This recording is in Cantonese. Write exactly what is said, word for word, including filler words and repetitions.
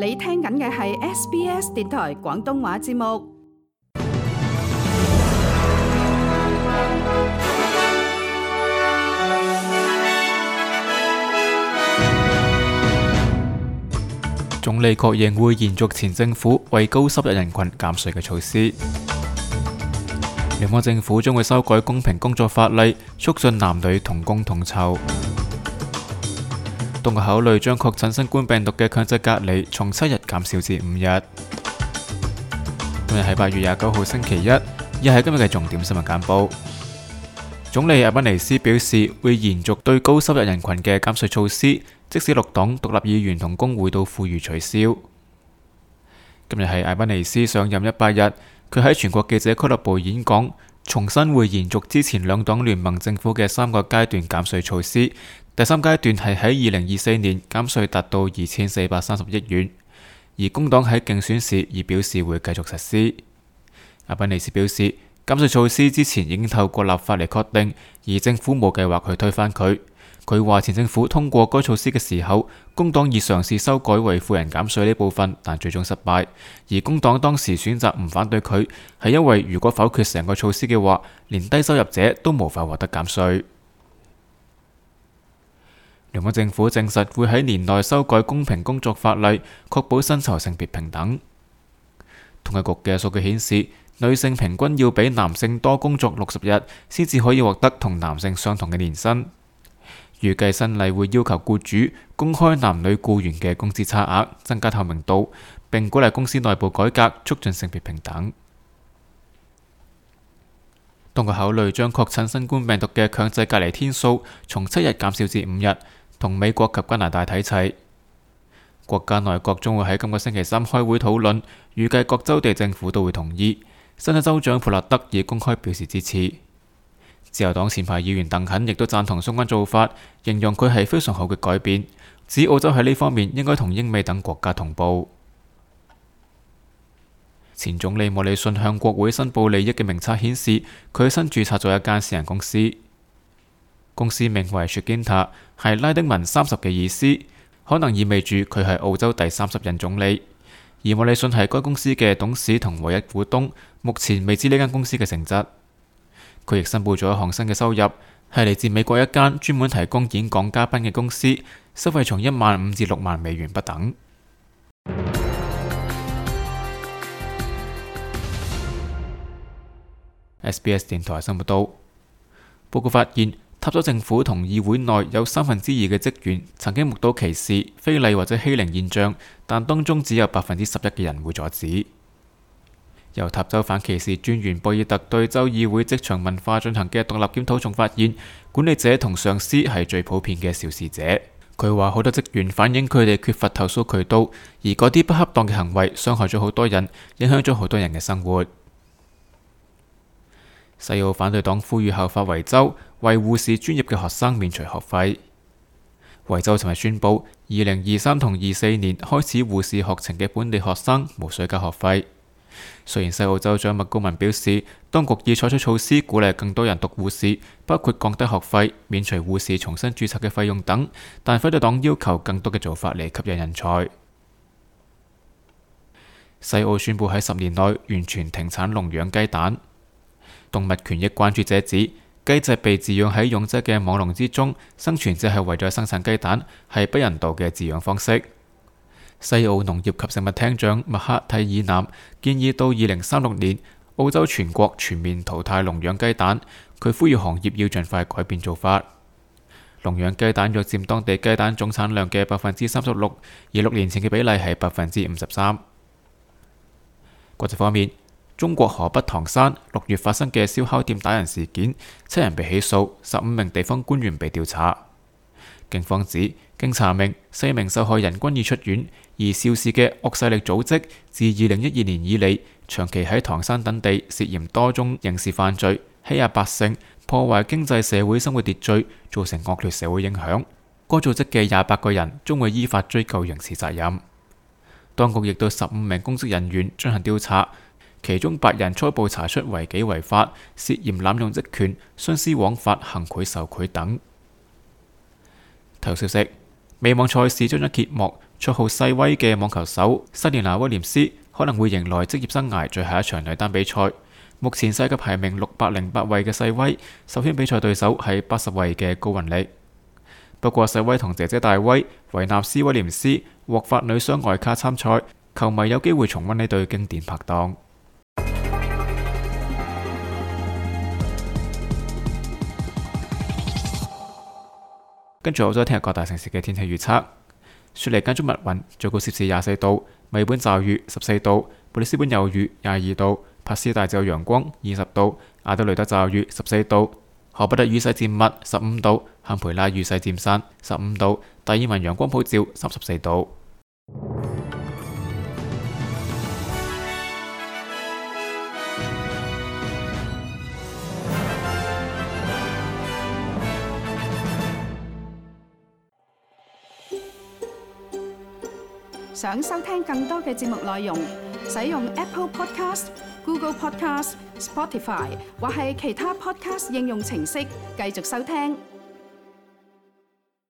你聽緊嘅係 S B S 電台廣東話節目。總理確認會延續前政府為高收入人群減稅嘅措施。聯邦政府將會修改公平工作法例，促進男女同工同酬。當局考慮將確診新冠病毒嘅強制隔離從七日減少至五日。今日係八月廿九號星期一，亦係今日嘅重點新聞簡報。總理阿賓尼斯表示會延續對高收入人群嘅減稅措施，即使綠黨獨立議員同工會都呼籲取消。今日係阿賓尼斯上任一百日，佢喺全國記者俱樂部演講，重申會延續之前兩黨聯盟政府嘅三個階段減稅措施。第三階段係喺二零二四年減稅達到二千四百三十億元，而工黨喺競選時已表示會繼續實施。阿賓尼斯表示，減稅措施之前已經透過立法嚟確定，而政府冇計劃去推翻佢。佢話前政府通過該措施嘅時候，工黨已嘗試修改為富人減稅呢部分，但最終失敗。而工黨當時選擇唔反對佢，係因為如果否決成個措施嘅話，連低收入者都無法獲得減稅。聯邦政府證實會喺年內修改公平工作法例，確保薪酬性別平等。統計局嘅數據顯示，女性平均要比男性多工作六十日，先至可以獲得同男性相同嘅年薪。預計新例會要求僱主公開男女僱員嘅工資差額，增加透明度，並鼓勵公司內部改革，促進性別平等。當局考慮將確診新冠病毒嘅強制隔離天數從七日減少至五日，同美國及加拿大睇齊。國家內閣將會喺今個星期三開會討論，預計各州地政府都會同意。新嘅州長普勒德已公開表示支持。自由黨前排議員鄧肯亦都贊同相關做法，形容佢係非常好嘅改變，指澳洲喺呢方面應該同英美等國家同步。前總理莫里遜向國會申報利益嘅名冊顯示，佢新註冊咗一間私人公司，公司名為 Shinta， 係拉丁文三十嘅意思，可能意味住佢係澳洲第三十任總理。而莫里遜係該公司嘅董事同唯一股東，目前未知呢間公司嘅性質。佢亦申報咗一項新嘅收入，係嚟自美國一間專門提供演講嘉賓嘅公司，收費從一萬五至六萬美元不等。S B S 電台新聞報道，報告發現，塔州政府同議會內有三分之二嘅職員曾經目睹歧視、非禮或者欺凌現象，但當中只有百分之十一嘅人會阻止。由塔州反歧視專員博爾特對州議會職場文化進行嘅獨立檢討中發現，管理者同上司係最普遍嘅肇事者。佢話好多職員反映佢哋缺乏投訴渠道，而嗰啲不恰當嘅行為傷害咗好多人，影響咗好多人嘅生活。西澳反對黨呼籲效法維州，為護士專業嘅學生免除學費。維州尋日宣布，二零二三同二四年開始護士學程嘅本地學生無需交學費。雖然西澳州長麥高文表示，當局已採取措施鼓勵更多人讀護士，包括降低學費、免除護士重新註冊嘅費用等，但反對黨要求更多嘅做法嚟吸引人才。西澳宣布喺十年內完全停產籠養雞蛋。動物權益關注者指，雞隻被飼養喺擁擠嘅網籠之中，生存只係為咗生產雞蛋，係不人道嘅飼養方式。西澳農業及食物廳長麥克蒂爾南建議到二零三六年，澳洲全國全面淘汰籠養雞蛋。佢呼籲行業要盡快改變做法。籠養雞蛋約佔當地雞蛋總產量嘅百分之三十六，而六年前嘅比例係百分之五十三。國際方面，中國河北唐山六月發生嘅燒烤店打人事件，七人被起訴，十五名地方官員被調查。警方指，經查明，四名受害人均已出院，而肇事嘅惡勢力組織自二零一二年以嚟，長期喺唐山等地涉嫌多宗刑事犯罪，欺壓百姓，破壞經濟社會生活秩序，造成惡劣社會影響。該組織嘅廿八個人將會依法追究刑事責任。當局亦對十五名公職人員進行調查，其中八人初步查出違紀違法，涉嫌濫用職權、徇私枉法、行賄受賄等。體育消息：美網賽事將咗揭幕，綽號細威嘅網球手塞蓮娜威廉斯可能會迎來職業生涯最後一場女單比賽。目前世界排名六百零八位嘅細威，首圈比賽對手係八十位嘅高雲力。不過細威同姐姐大威維納斯威廉斯獲發女雙外卡參賽，球迷有機會重溫呢對經典拍檔。跟住我再聽日各大城市嘅天氣預測。雪梨間中密雲，最高攝氏廿四度；墨爾本驟雨十四度；布里斯本有雨廿二度；帕斯大就有陽光二十度；阿德雷德驟雨十四度；荷伯特雨勢漸密十五度；坎培拉雨勢漸散十五度；達爾文陽光普照三十四度。想收聽更多嘅節目內容，使用 Apple Podcast、Google Podcast、Spotify 或係其他 Podcast 應用程式繼續收聽。